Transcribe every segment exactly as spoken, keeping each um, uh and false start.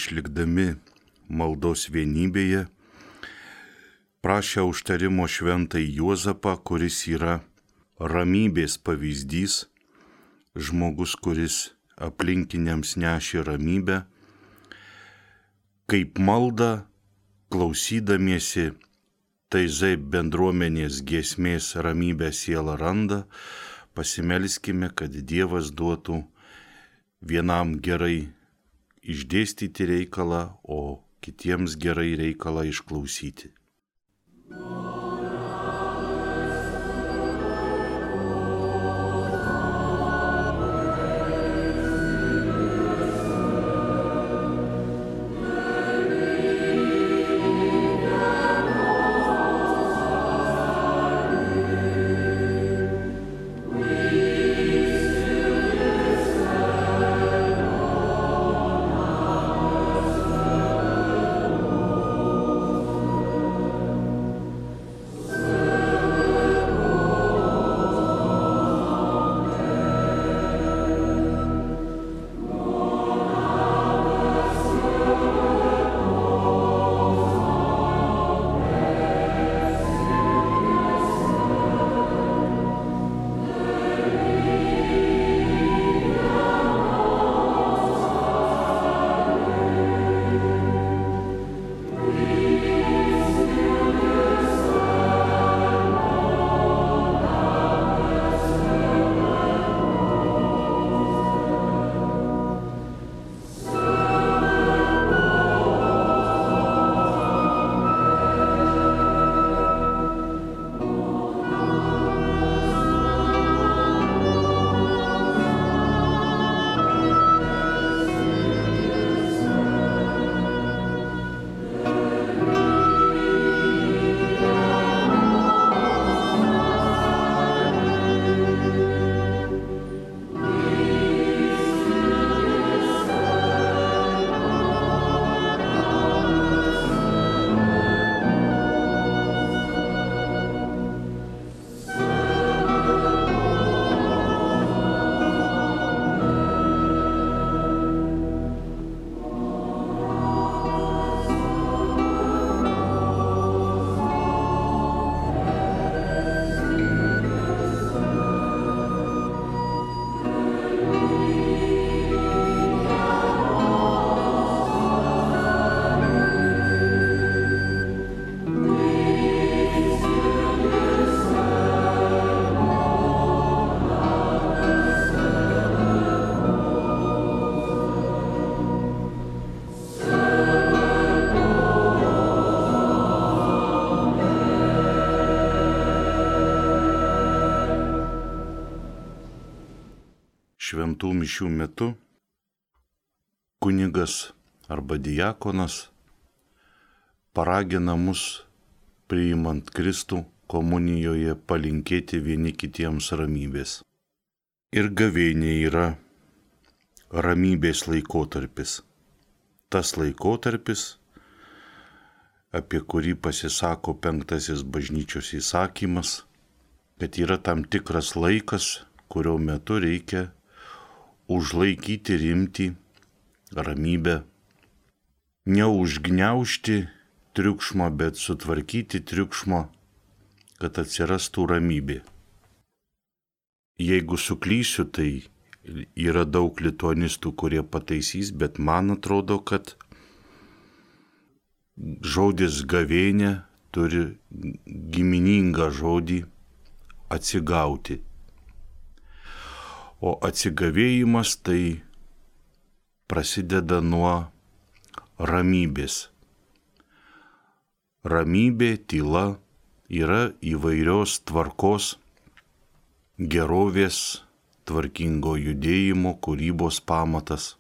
išlikdami maldos vienybėje, prašė užtarimo šventąjį Juozapą, kuris yra ramybės pavyzdys, žmogus, kuris aplinkiniams nešė ramybę, kaip malda, klausydamiesi taizai bendruomenės giesmės ramybę sielą randa, pasimelskime, kad Dievas duotų vienam gerai išdėstyti reikalą, o kitiems gerai reikalą išklausyti. Šventų mišių metu kunigas arba diakonas paragina mus, priimant Kristų komunijoje, palinkėti vieni kitiems ramybės. Ir gavėnė yra ramybės laikotarpis. Tas laikotarpis, apie kurį pasisako penktasis bažnyčios įsakymas, kad yra tam tikras laikas, kurio metu reikia užlaikyti rimtį, ramybę, neužgniaužti triukšmo, bet sutvarkyti triukšmo, kad atsirastų ramybė. Jeigu suklysiu, tai yra daug lituanistų, kurie pataisys, bet man atrodo, kad žodis gavėnė turi giminingą žodį atsigauti. O atsigavėjimas tai prasideda nuo ramybės. Ramybė, tyla yra įvairios tvarkos, gerovės, tvarkingo judėjimo, kūrybos pamatas.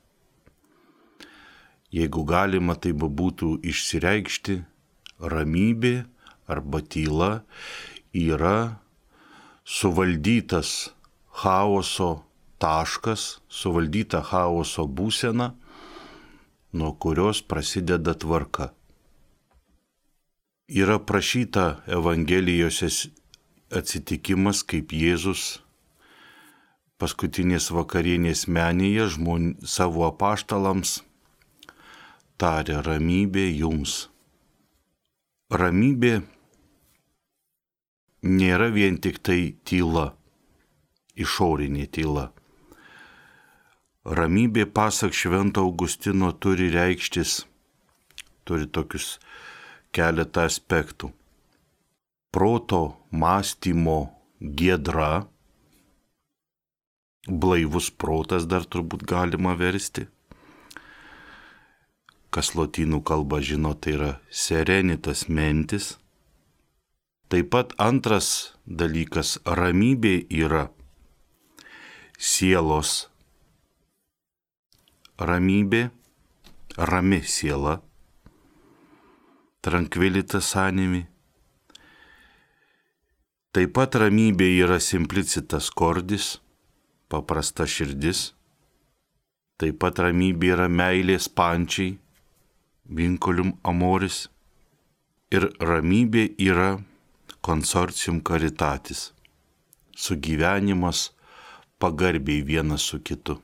Jeigu galima tai būtų išsireikšti, ramybė arba tyla yra suvaldytas chaoso taškas, suvaldyta chaoso būsena, nuo kurios prasideda tvarka. Yra prašyta Evangelijose atsitikimas, kaip Jėzus paskutinės vakarienės menėje žmon, savo apaštalams tarė, ramybė jums. Ramybė nėra vien tik tai tyla, išorinė tyla. Ramybė, pasak Švento Augustino, turi reikštis, turi tokius keletą aspektų. Proto, mąstymo giedra, blaivus protas dar turbūt galima versti. Kas lotynų kalba žino, tai yra serenitas mentis. Taip pat antras dalykas, ramybė yra sielos ramybė, rami siela, tranquilitas animi. Taip pat ramybė yra simplicitas cordis, paprasta širdis. Taip pat ramybė yra meilės pančiai, vinculum amoris. Ir ramybė yra consortium caritatis, sugyvenimas pagarbiai vienas su kitu,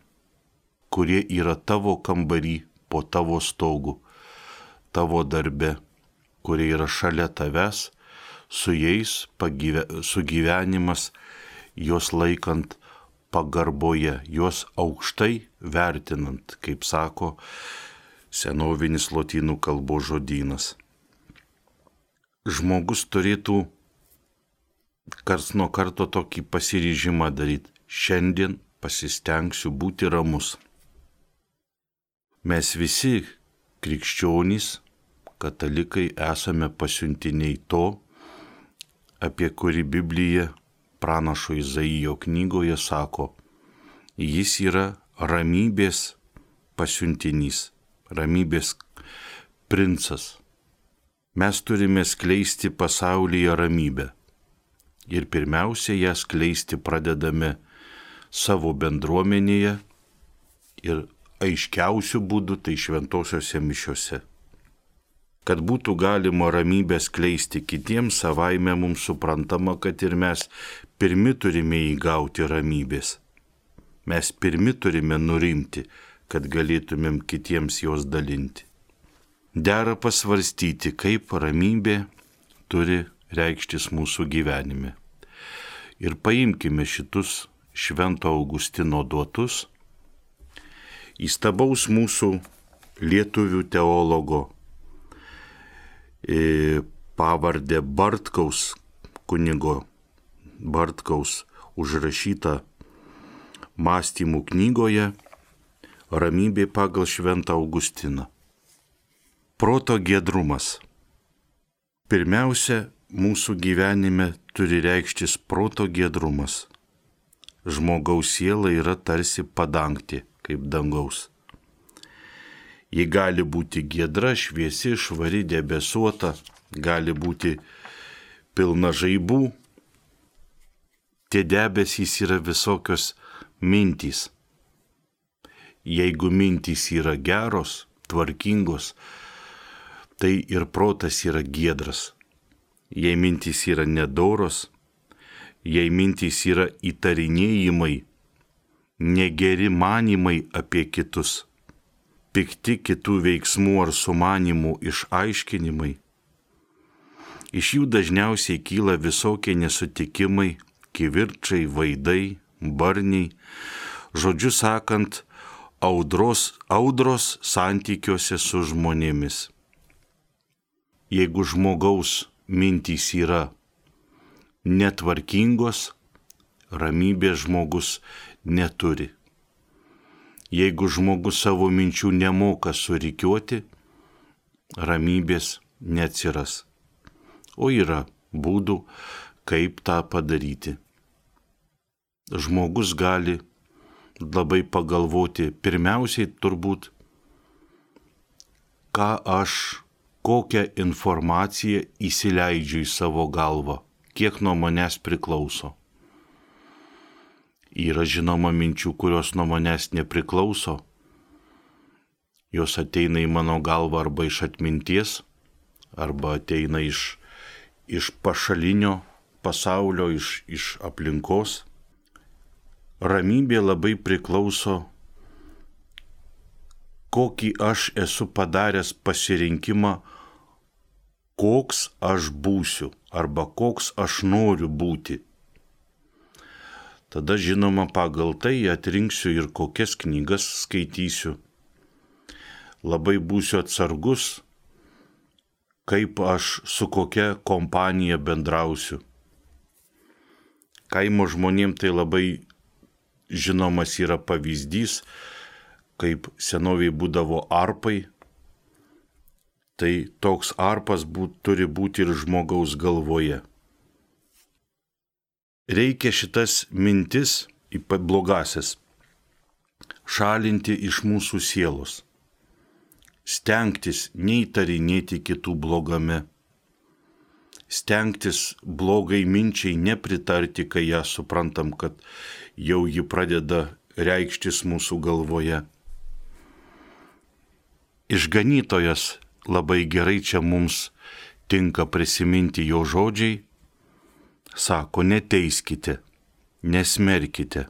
kurie yra tavo kambarį, po tavo stogu, tavo darbe, kurie yra šalia tavęs, su jais pagyve, sugyvenimas, juos laikant pagarboje, juos aukštai vertinant, kaip sako senovinis lotynų kalbos žodynas. Žmogus turėtų karts nuo karto tokį pasiryžimą daryti. Šiandien pasistengsiu būti ramus. Mes visi krikščionys, katalikai, esame pasiuntiniai to, apie kurį Biblija pranašo Izaijo knygoje sako, jis yra ramybės pasiuntinys, ramybės princas. Mes turime skleisti pasaulyje ramybę. Ir pirmiausia, ją skleisti pradedame savo bendruomenėje ir aiškiausių būdų tai šventosiose mišiose. Kad būtų galima ramybę skleisti kitiems, savaime mums suprantama, kad ir mes pirmi turime įgauti ramybės. Mes pirmi turime nurimti, kad galėtumėm kitiems jos dalinti. Dera pasvarstyti, kaip ramybė turi reikštis mūsų gyvenime. Ir paimkime šitus Švento Augustino duotus, įstabaus mūsų lietuvių teologo pavardę Bartkaus, kunigo Bartkaus užrašytą mąstymų knygoje Ramybė pagal Šventą Augustiną. Proto giedrumas. Pirmiausia, mūsų gyvenime turi reikštis proto giedrumas. Žmogaus siela yra tarsi padangtė, kaip dangaus. Ji gali būti giedra, šviesi, švari, debesuota, gali būti pilna žaibų. Tie debesys yra visokios mintys. Jeigu mintys yra geros, tvarkingos, tai ir protas yra giedras. Jei mintys yra nedoros, jei mintys yra įtarinėjimai, negeri manymai apie kitus, pikti kitų veiksmų ar sumanimų išaiškinimai, iš jų dažniausiai kyla visokie nesutikimai, kivirčai, vaidai, barniai, žodžiu sakant, audros, audros santykiuose su žmonėmis. Jeigu žmogaus mintys yra netvarkingos, ramybės žmogus neturi. Jeigu žmogus savo minčių nemoka surikiuoti, ramybės neatsiras. O yra būdų, kaip tą padaryti. Žmogus gali labai pagalvoti, pirmiausiai turbūt, ką aš, kokią informaciją įsileidžiu į savo galvą, kiek nuo manęs priklauso. Yra žinoma minčių, kurios nuo manęs nepriklauso. Jos ateina į mano galvą arba iš atminties, arba ateina iš, iš pašalinio pasaulio, iš, iš aplinkos. Ramybė labai priklauso, kokį aš esu padaręs pasirinkimą, koks aš būsiu arba koks aš noriu būti. Tada, žinoma, pagal tai atrinksiu ir kokias knygas skaitysiu. Labai būsiu atsargus, kaip aš su kokia kompanija bendrausiu. Kaimo žmonėms tai labai žinomas yra pavyzdys, kaip senoviai būdavo arpai, tai toks arpas būt, turi būti ir žmogaus galvoje. Reikia šitas mintis, ypač blogasias, šalinti iš mūsų sielos, stengtis neįtarinėti kitų blogame, stengtis blogai minčiai nepritarti, kai ją suprantam, kad jau ji pradeda reikštis mūsų galvoje. Išganytojas labai gerai čia mums tinka prisiminti jo žodžiai, sako, neteiskite, nesmerkite,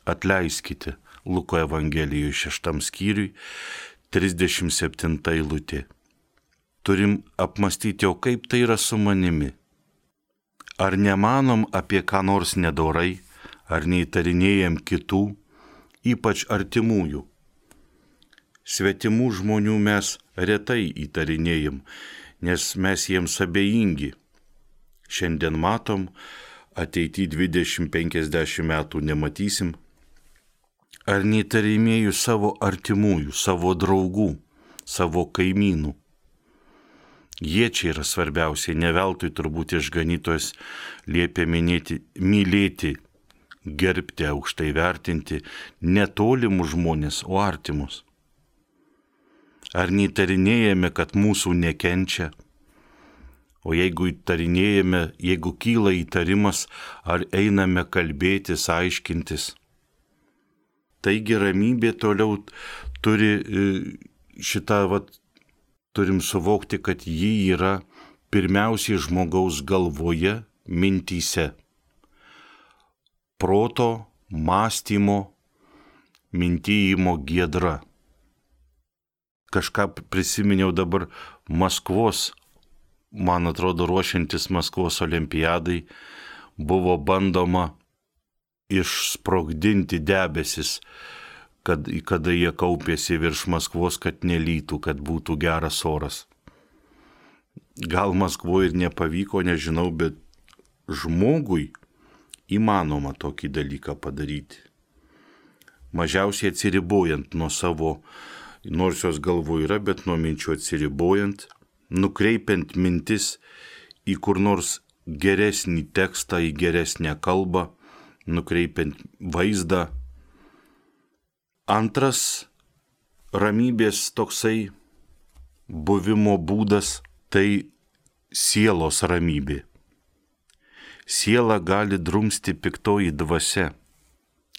atleiskite. Luko Evangelijoje šeštam skyriui, trisdešimt septinta eilutė. Turim apmastyti, o kaip tai yra su manimi. Ar nemanom apie ką nors nedorai, ar neįtarinėjam kitų, ypač artimųjų. Svetimų žmonių mes retai įtarinėjam, nes mes jiems abejingi. Šiandien matom, ateity dvidešimt penkiasdešimt metų nematysim. Ar neįtarinėju savo artimųjų, savo draugų, savo kaimynų. Jie čia yra svarbiausiai, ne veltui turbūt išganytojas liepia minėti, mylėti, gerbti, aukštai vertinti netolimus žmonės, o artimus. Ar neįtarinėjame, kad mūsų nekenčia? O jeigu įtarinėjame, jeigu kyla įtarimas, ar einame kalbėtis, aiškintis? Taigi ramybė toliau turi šitą, vat, turim suvokti, kad ji yra pirmiausiai žmogaus galvoje, mintyse. Proto, mąstymo, mintyjimo giedra. Kažką prisiminiau dabar Maskvos, man atrodo, ruošiantis Maskvos olimpiadai, buvo bandoma išsprogdinti debesis, kad, kada jie kaupėsi virš Maskvos, kad nelytų, kad būtų geras oras. Gal Maskvoje ir nepavyko, nežinau, bet žmogui įmanoma tokį dalyką padaryti. Mažiausiai atsiribojant nuo savo, nors jos galvoje yra, bet nuo minčių atsiribojant, nukreipiant mintis į kur nors geresnį tekstą, į geresnę kalbą, nukreipiant vaizdą. Antras ramybės toksai buvimo būdas – tai sielos ramybė. Siela gali drumsti piktoji dvasia,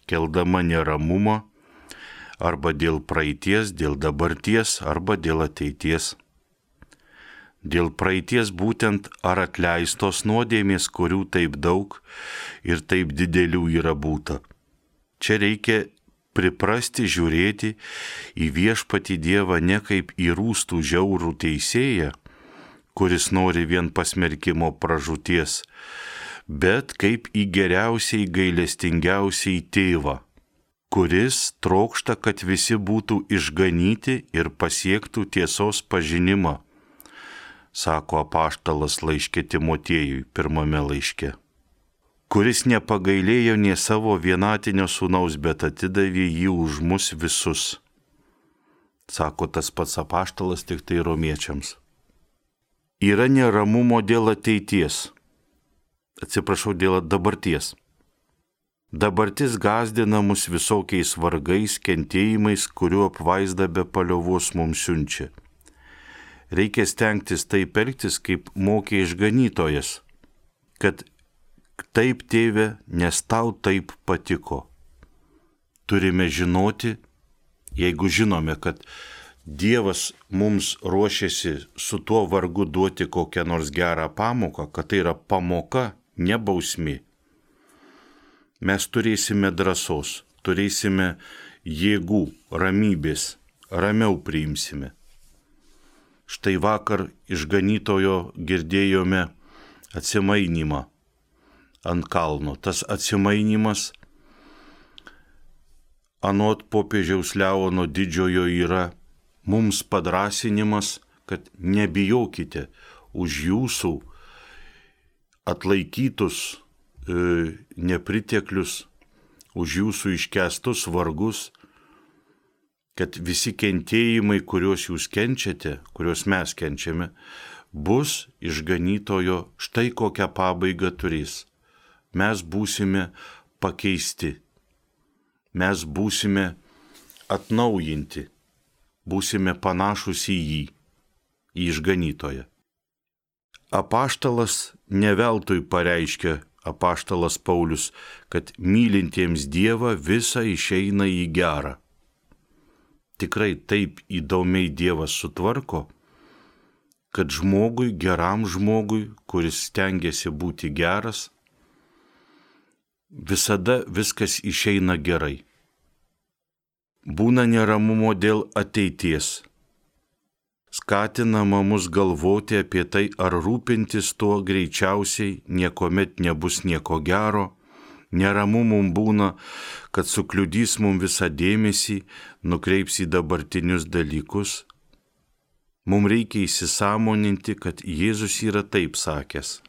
keldama neramumą arba dėl praeities, dėl dabarties arba dėl ateities. Dėl praeities būtent ar atleistos nuodėmės, kurių taip daug ir taip didelių yra būta. Čia reikia priprasti žiūrėti į viešpatį Dievą ne kaip į rūstų žiaurų teisėją, kuris nori vien pasmerkimo pražūties, bet kaip į geriausiai gailestingiausiai tėvą, kuris trokšta, kad visi būtų išganyti ir pasiektų tiesos pažinimą, sako apaštalas laiške Timotiejui pirmame laiške, kuris nepagailėjo nė savo vienatinio sūnaus, bet atidavė jį už mus visus, sako tas pats apaštalas tik tai romiečiams. Yra neramumo dėl ateities, atsiprašau, dėl dabarties. Dabartis gąsdina mus visokiais vargais, kentėjimais, kuriuo apvaizda be paliovos mums siunčia. Reikia stengtis taip elgtis, kaip mokė išganytojas, kad taip, tėve, nes tau taip patiko. Turime žinoti, jeigu žinome, kad Dievas mums ruošiasi su tuo vargu duoti kokią nors gerą pamoką, kad tai yra pamoka, ne bausmė. Mes turėsime drąsos, turėsime jėgų, ramybės ramiau priimsime. Štai vakar išganytojo girdėjome atsimainimą ant kalno. Tas atsimainimas anot popiežiaus Leono didžiojo yra mums padrasinimas, kad nebijokite už jūsų atlaikytus e, nepriteklius, už jūsų iškęstus vargus, kad visi kentėjimai, kuriuos jūs kenčiate, kuriuos mes kenčiame, bus išganytojo štai kokią pabaigą turės. Mes būsime pakeisti, mes būsime atnaujinti, būsime panašus į jį, į išganytoją. Apaštalas ne veltui pareiškia, apaštalas Paulius, kad mylintiems Dievą visa išeina į gerą. Tikrai taip įdomiai Dievas sutvarko, kad žmogui, geram žmogui, kuris stengiasi būti geras, visada viskas išeina gerai. Būna neramumo dėl ateities. Skatinama mus galvoti apie tai, ar rūpintis tuo greičiausiai niekuomet nebus nieko gero. Neramu mums būna, kad sukliudys mums visą dėmesį, nukreips į dabartinius dalykus. Mums reikia įsisąmoninti, kad Jėzus yra taip sakęs.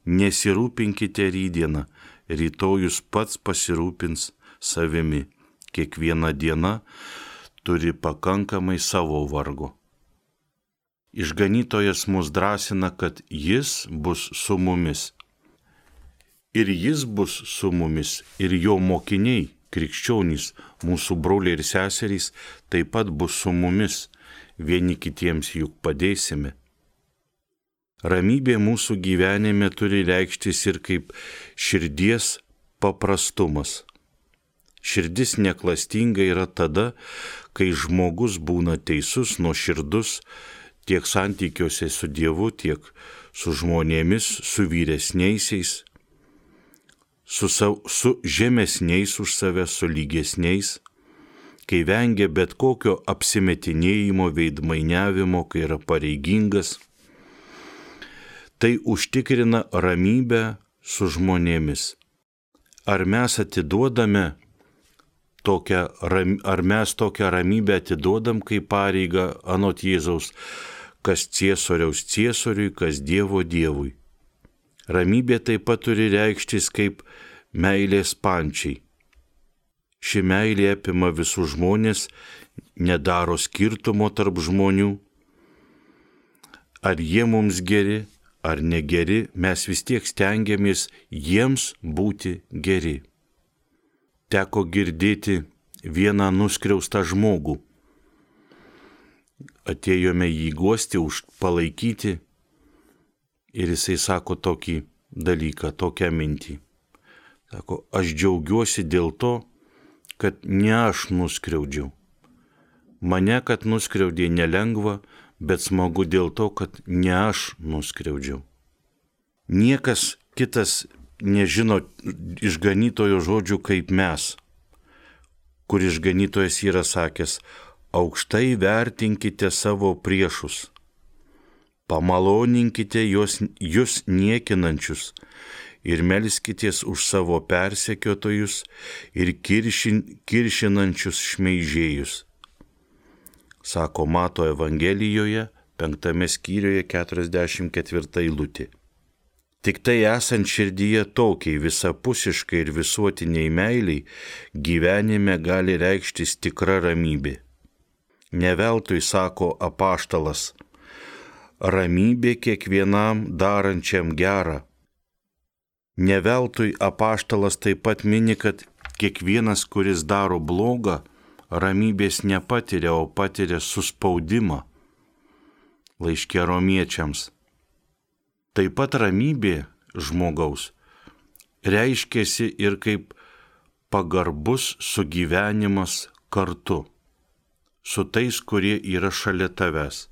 Nesirūpinkite rytdieną, rytojus pats pasirūpins savimi. Kiekviena diena turi pakankamai savo vargo. Išganytojas mus drąsina, kad jis bus su mumis. Ir jis bus su mumis, ir jo mokiniai, krikščionys, mūsų broliai ir seserys, taip pat bus su mumis, vieni kitiems juk padėsime. Ramybė mūsų gyvenime turi reikštis ir kaip širdies paprastumas. Širdis neklastinga yra tada, kai žmogus būna teisus, nuoširdus tiek santykiuose su Dievu, tiek su žmonėmis, su vyresniaisiais, su, sav, su žemesniais už save, su lygesniais, kai vengia bet kokio apsimetinėjimo, veidmainiavimo, kai yra pareigingas. Tai užtikrina ramybę su žmonėmis. Ar mes atiduodame tokią, ar mes tokią ramybę atiduodam kaip pareigą anot Jėzaus, kas ciesoriaus ciesoriui, kas Dievo Dievui. Ramybė taip pat turi reikštis kaip meilės pančiai. Ši meilė apima visus žmonės, nedaro skirtumo tarp žmonių. Ar jie mums geri, ar negeri, mes vis tiek stengiamės jiems būti geri. Teko girdėti vieną nuskriaustą žmogų. Atėjome jį guosti, už palaikyti ir jisai sako tokį dalyką, tokią mintį. Sako, aš džiaugiuosi dėl to, kad ne aš nuskriaudžiau. Mane, kad nuskriaudė nelengva, bet smagu dėl to, kad ne aš nuskriaudžiau. Niekas kitas nežino išganytojo žodžių kaip mes, kur išganytojas yra sakęs, aukštai vertinkite savo priešus, pamaloninkite juos, jūs niekinančius ir melskitės už savo persekiotojus ir kiršin, kiršinančius šmeižėjus. Sako Mato Evangelijoje, penktame skyriuje, keturiasdešimt ketvirta eilutė. Tik tai esant širdyje tokiai visapusiškai ir visuotiniai meiliai, gyvenime gali reikštis tikra ramybė. Neveltui sako apaštalas, ramybė kiekvienam darančiam gerą. Neveltui apaštalas taip pat mini, kad kiekvienas, kuris daro blogą, ramybės nepatiria, o patiria suspaudimą. Laiške Romiečiams. Taip pat ramybė žmogaus reiškiasi ir kaip pagarbus sugyvenimas kartu, su tais, kurie yra šalia tavęs,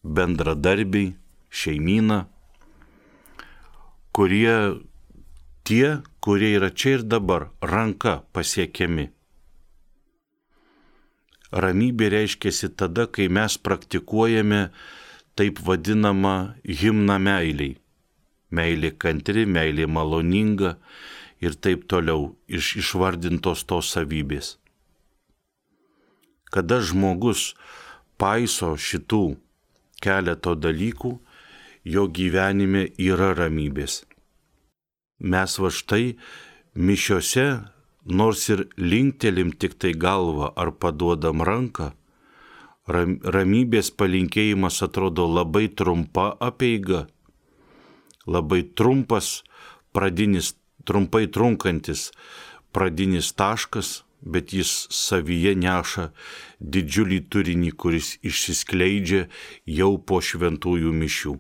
bendradarbiai, šeimyna, kurie tie, kurie yra čia ir dabar, ranka pasiekiami. ramybė reiškiasi tada, kai mes praktikuojame taip vadinamą himną meiliai. Meilė kantri, meilė maloninga ir taip toliau iš išvardintos tos savybės. Kada žmogus paiso šitų keleto dalykų, jo gyvenime yra ramybės. Mes va štai mišiose, nors ir linktelim tik tai galvą ar paduodam ranką, ram, ramybės palinkėjimas atrodo labai trumpa apeiga, labai trumpas pradinis, trumpai trunkantis pradinis taškas, bet jis savyje neša didžiulį turinį, kuris išsiskleidžia jau po šventųjų mišių.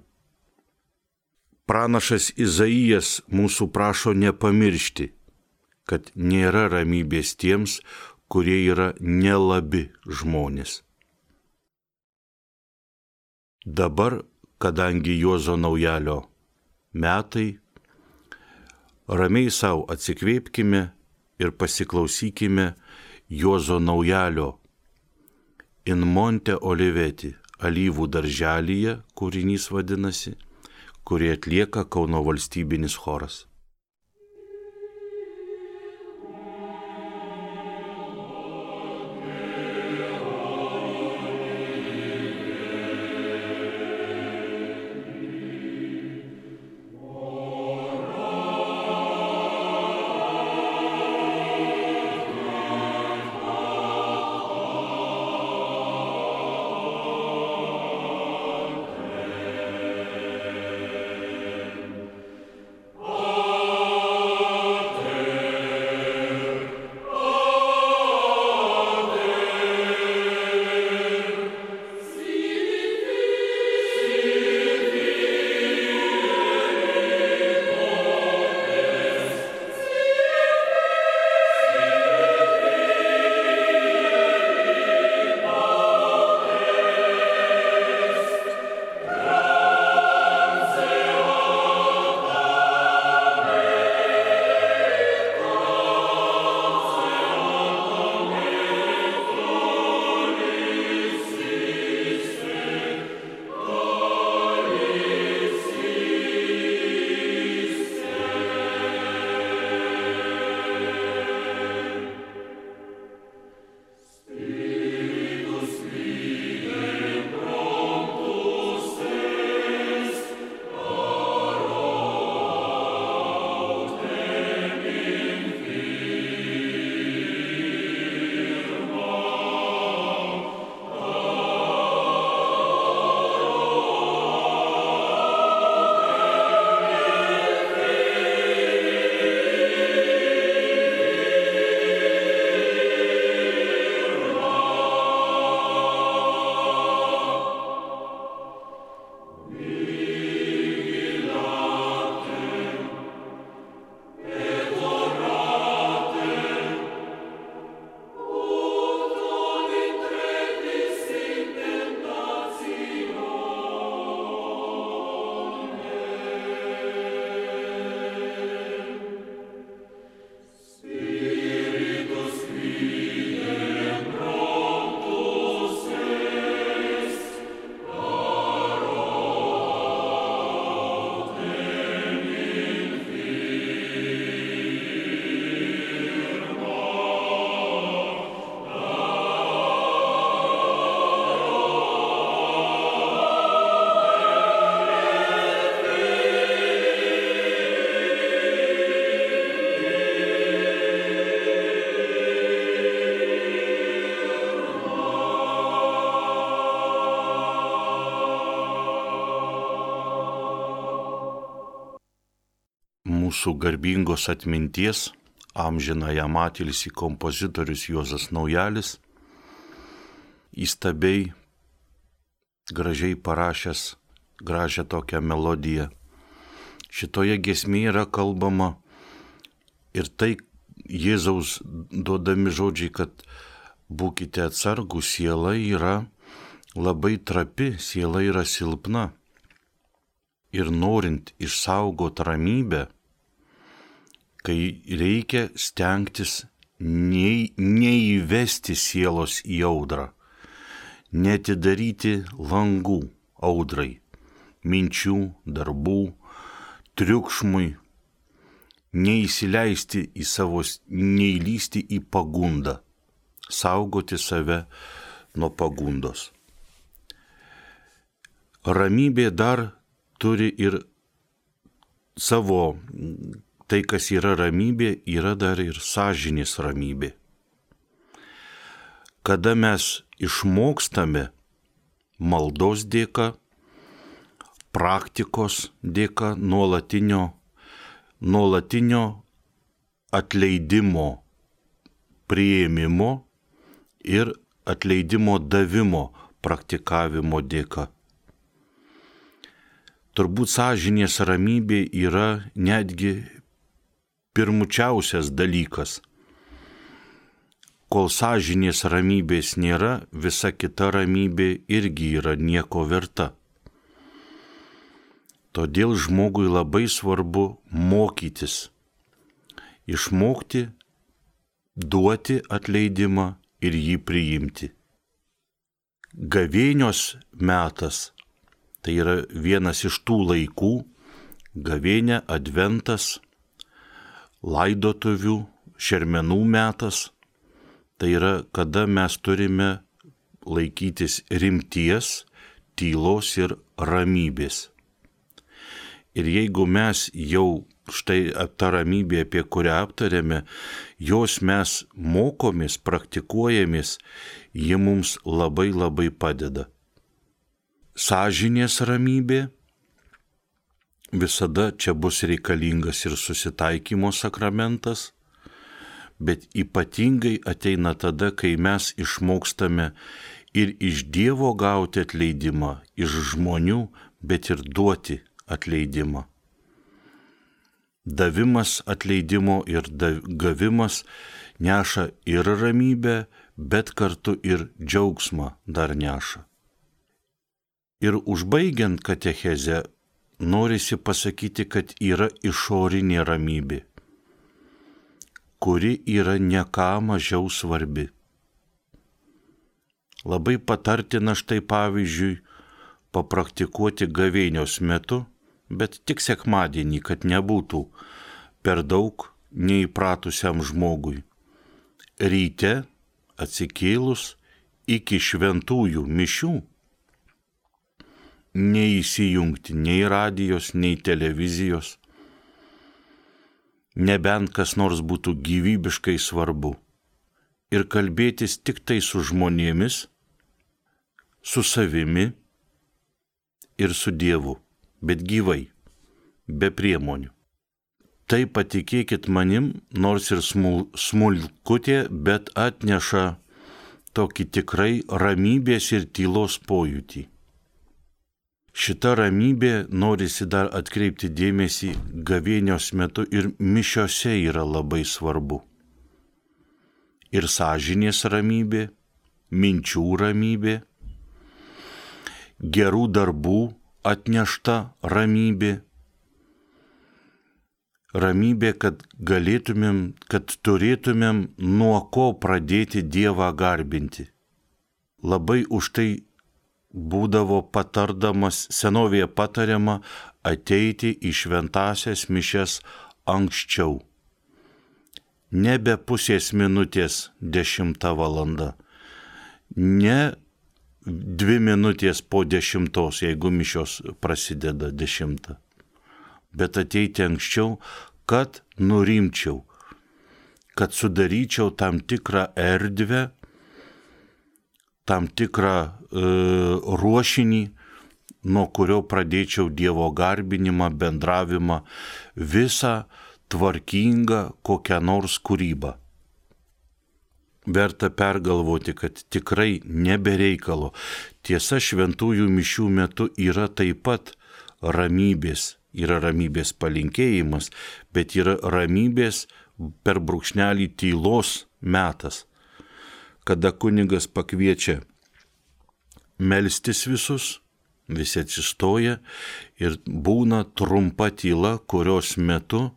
Pranašas Izaijas mūsų prašo nepamiršti, kad nėra ramybės tiems, kurie yra nelabi žmonės. Dabar, kadangi Juozo Naujalio metai, ramiai savo atsikvėpkime ir pasiklausykime Juozo Naujalio In Monte Oliveti, alyvų darželyje, kūrinys vadinasi, kurį atlieka Kauno valstybinis choras. Mūsų garbingos atminties, amžinąjam atilsį kompozitorius Juozas Naujalis, įstabiai, gražiai parašęs gražią tokią melodiją. Šitoje giesmėje yra kalbama ir tai Jėzaus duodami žodžiai, kad būkite atsargūs, siela yra labai trapi, siela yra silpna. Ir norint išsaugoti ramybę, kai reikia stengtis nei, neįvesti sielos į audrą, netidaryti langų audrai, minčių, darbų, triukšmui, neįsileisti į savo, neįlysti į pagundą, saugoti save nuo pagundos. Ramybė dar turi ir savo, tai kas yra ramybė, yra dar ir sąžinės ramybė. Kada mes išmokstame maldos dėka, praktikos dėka, nuolatinio, nuolatinio atleidimo, priėmimo ir atleidimo davimo praktikavimo dėka. Turbūt sąžinės ramybė yra netgi pirmučiausias dalykas. Kol sąžinės ramybės nėra, visa kita ramybė irgi yra nieko verta. Todėl žmogui labai svarbu mokytis, išmokti, duoti atleidimą ir jį priimti. Gavėnios metas tai yra vienas iš tų laikų, gavėnia, adventas, laidotuvių, šermenų metas, tai yra kada mes turime laikytis rimties, tylos ir ramybės. Ir jeigu mes jau štai ta ramybė, apie kurią aptarėme, jos mes mokomės, praktikuojamės, ji mums labai labai padeda. Sąžinės ramybė visada čia bus reikalingas ir susitaikymo sakramentas, bet ypatingai ateina tada, kai mes išmokstame ir iš Dievo gauti atleidimą, iš žmonių, bet ir duoti atleidimą. Davimas atleidimo ir gavimas neša ir ramybę, bet kartu ir džiaugsmą dar neša. Ir užbaigiant katechezę, norisi pasakyti, kad yra išorinė ramybė, kuri yra ne ką mažiau svarbi. Labai patartina štai pavyzdžiui papraktikuoti gavėnios metu, bet tik sekmadienį, kad nebūtų per daug neįpratusiam žmogui. Ryte atsikėlus iki šventųjų mišių neįsijungti nei radijos, nei televizijos, nebent kas nors būtų gyvybiškai svarbu, ir kalbėtis tik tai su žmonėmis, su savimi ir su Dievu, bet gyvai, be priemonių. Tai patikėkit manim, nors ir smul, smulkutė, bet atneša tokį tikrai ramybės ir tylos pojūtį. Šita ramybė, norisi dar atkreipti dėmesį, gavėnios metu ir mišiose yra labai svarbu. Ir sąžinės ramybė, minčių ramybė, gerų darbų atnešta ramybė, ramybė, kad galėtumėm, kad turėtumėm nuo ko pradėti Dievą garbinti. Labai už tai būdavo patardamas, senovėje patariama ateiti į šventąsias mišias anksčiau. Nebe pusės minutės dešimta valanda, ne dvi minutės po dešimtos, jeigu mišios prasideda dešimtą, bet ateiti anksčiau, kad nurimčiau, kad sudaryčiau tam tikrą erdvę, tam tikrą e, ruošinį, nuo kurio pradėčiau Dievo garbinimą, bendravimą, visą tvarkingą kokią nors kūrybą. Verta pergalvoti, kad tikrai nebereikalo. Tiesa, šventųjų mišių metu yra taip pat ramybės, yra ramybės palinkėjimas, bet yra ramybės per brūkšnelį tylos metas, kada kunigas pakviečia melstis visus, visi atsistoja ir būna trumpa tyla, kurios metu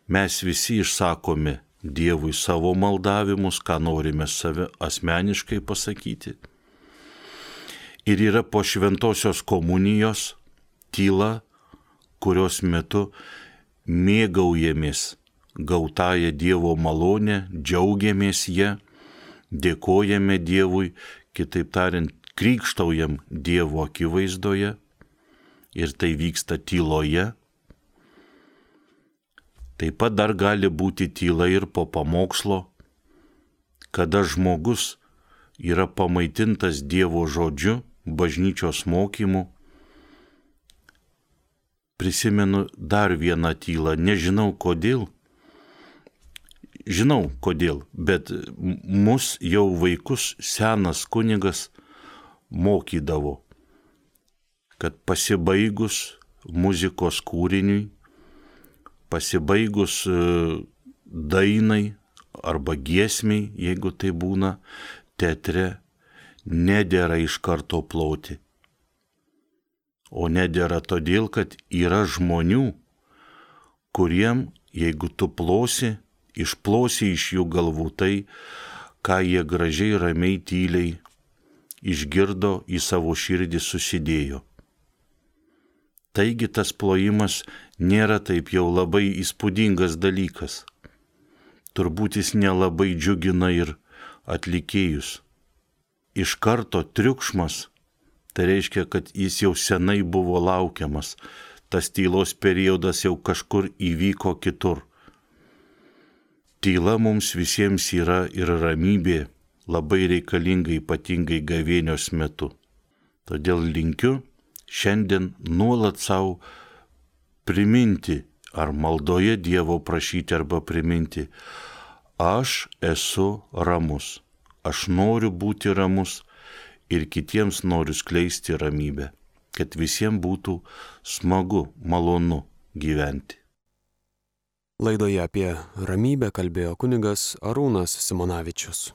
mes visi išsakome Dievui savo maldavimus, ką norime save asmeniškai pasakyti. Ir yra po šventosios komunijos tyla, kurios metu mėgaujamės gautąją Dievo malonę, džiaugiamės ją, dėkojame Dievui, kitaip tariant, krikštaujam Dievo akivaizdoje ir tai vyksta tyloje. Taip pat dar gali būti tyla ir po pamokslo, kada žmogus yra pamaitintas Dievo žodžiu, bažnyčios mokymu. Prisimenu dar vieną tylą, nežinau kodėl, žinau kodėl, bet mus jau vaikus senas kunigas mokydavo, kad pasibaigus muzikos kūriniui, pasibaigus dainai arba giesmiai, jeigu tai būna teatre, nedėra iš karto ploti. O nedėra todėl, kad yra žmonių, kuriem, jeigu tu plosi, išplosi iš jų galvų tai, ką jie gražiai, ramiai, tyliai išgirdo, į savo širdį susidėjo. Taigi tas plojimas nėra taip jau labai įspūdingas dalykas. Turbūt jis nelabai džiugina ir atlikėjus. Iš karto triukšmas, tai reiškia, kad jis jau senai buvo laukiamas. Tas tylos periodas jau kažkur įvyko kitur. Tyla mums visiems yra ir ramybė labai reikalinga, ypatingai gavėnios metu. Todėl linkiu šiandien nuolat savo priminti, ar maldoje Dievo prašyti arba priminti, aš esu ramus, aš noriu būti ramus ir kitiems noriu skleisti ramybę, kad visiems būtų smagu, malonu gyventi. Laidoje apie ramybę kalbėjo kunigas Arūnas Simonavičius.